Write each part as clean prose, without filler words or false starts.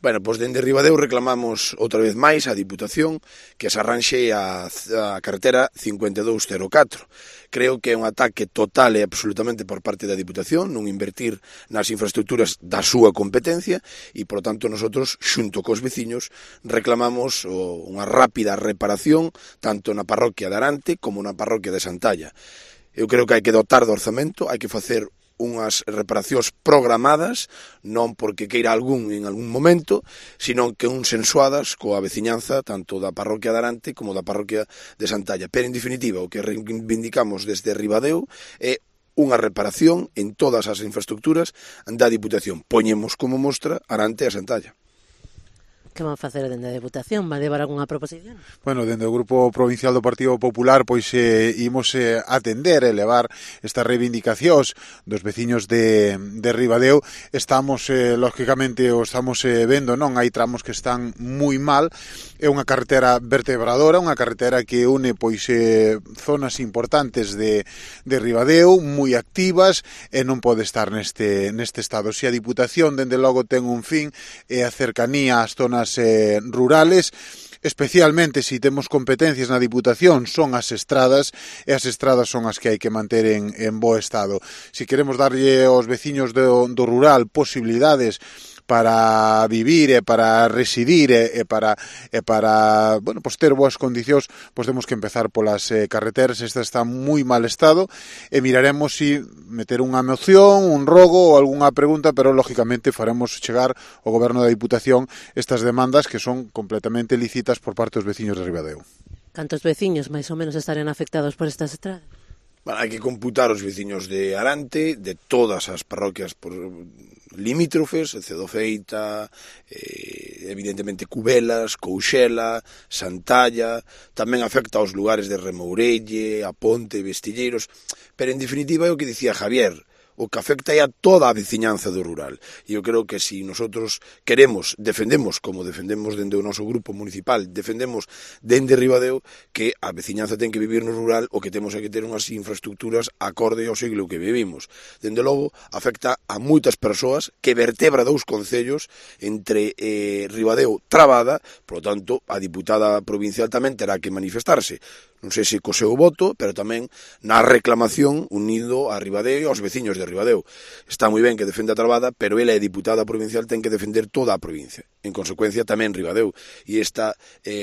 Bueno, pois dende Ribadeo reclamamos outra vez máis a Diputación que se arranxe a carretera 5204. Creo que é un ataque total e absolutamente por parte da Diputación non invertir nas infraestructuras da súa competencia e, por tanto, nosotros, xunto cos veciños, reclamamos unha rápida reparación tanto na parroquia de Arante como na parroquia de Santalla. Eu creo que hai que dotar do orzamento, hai que facer unhas reparacións programadas, non porque queira algún en algún momento, sino que sensuadas coa veciñanza tanto da parroquia de Arante como da parroquia de Santalla. Pero, en definitiva, o que reivindicamos desde Ribadeo é unha reparación en todas as infraestructuras da Diputación. Poñemos como mostra Arante e Santalla. Que van facer dende a Deputación? Vai levar algunha proposición? Bueno, dende o Grupo Provincial do Partido Popular pois imos atender e levar estas reivindicacións dos veciños de Ribadeo. Estamos, lógicamente, o estamos vendo, non? Hai tramos que están moi mal. É unha carretera vertebradora, unha carretera que une pois zonas importantes de Ribadeo, moi activas, e non pode estar neste estado. Se a Diputación, dende logo, ten un fin, é a cercanía ás zonas rurales, especialmente se temos competencias na Diputación, son as estradas, e as estradas son as que hai que manter en bo estado. Se queremos darlle aos veciños do rural posibilidades para vivir e para residir e para bueno, pues ter boas condicións, pues temos que empezar polas carreteras. Esta está en moi mal estado e miraremos si meter unha moción, un rogo ou algunha pregunta, pero lógicamente faremos chegar ao Goberno da Diputación estas demandas que son completamente lícitas por parte dos veciños de Ribadeo. Cantos veciños máis ou menos estarían afectados por estas estradas? Bueno, hai que computar os veciños de Arante, de todas as parroquias por limítrofes, Cedofeita, evidentemente Cubelas, Couxela, Santalla, tamén afecta aos lugares de Remourelle, a Ponte, Vestilleiros, pero en definitiva é o que dicía Javier, o que afecta é a toda a veciñanza do rural. E eu creo que se nosotros defendemos, como defendemos dende o noso grupo municipal, defendemos dende Ribadeo, que a veciñanza ten que vivir no rural, o que temos é que ter unhas infraestructuras acorde ao siglo que vivimos. Dende logo, afecta a moitas persoas que vertebra dous concellos entre Ribadeo Trabada, por lo tanto, a diputada provincial tamén terá que manifestarse. Non sei se co seu voto, pero tamén na reclamación unido a Ribadeo e aos veciños de Ribadeo. Está moi ben que defenda a Trabada, pero ela é diputada provincial, ten que defender toda a provincia. En consecuencia, tamén Ribadeo. E esta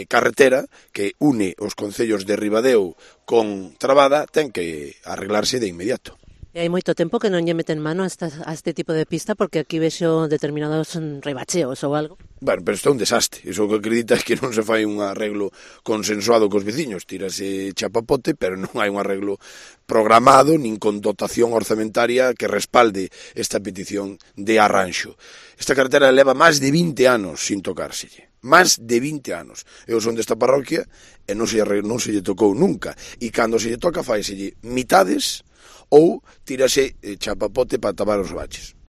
carretera que une os concellos de Ribadeo con Trabada ten que arreglarse de inmediato. E hai moito tempo que non lle meten mano a este tipo de pista, porque aquí vexo determinados rebacheos ou algo. Bueno, pero isto é un desastre. Iso que acredita é que non se fai un arreglo consensuado cos veciños. Tírase chapapote, pero non hai un arreglo programado nin con dotación orzamentaria que respalde esta petición de arranxo. Esta carretera leva máis de 20 anos sin tocárselle. Máis de 20 anos. Eu son desta parroquia e non se lle tocou nunca. E cando se lle toca, faiselle mitades ou tírase chapapote para tapar os baches.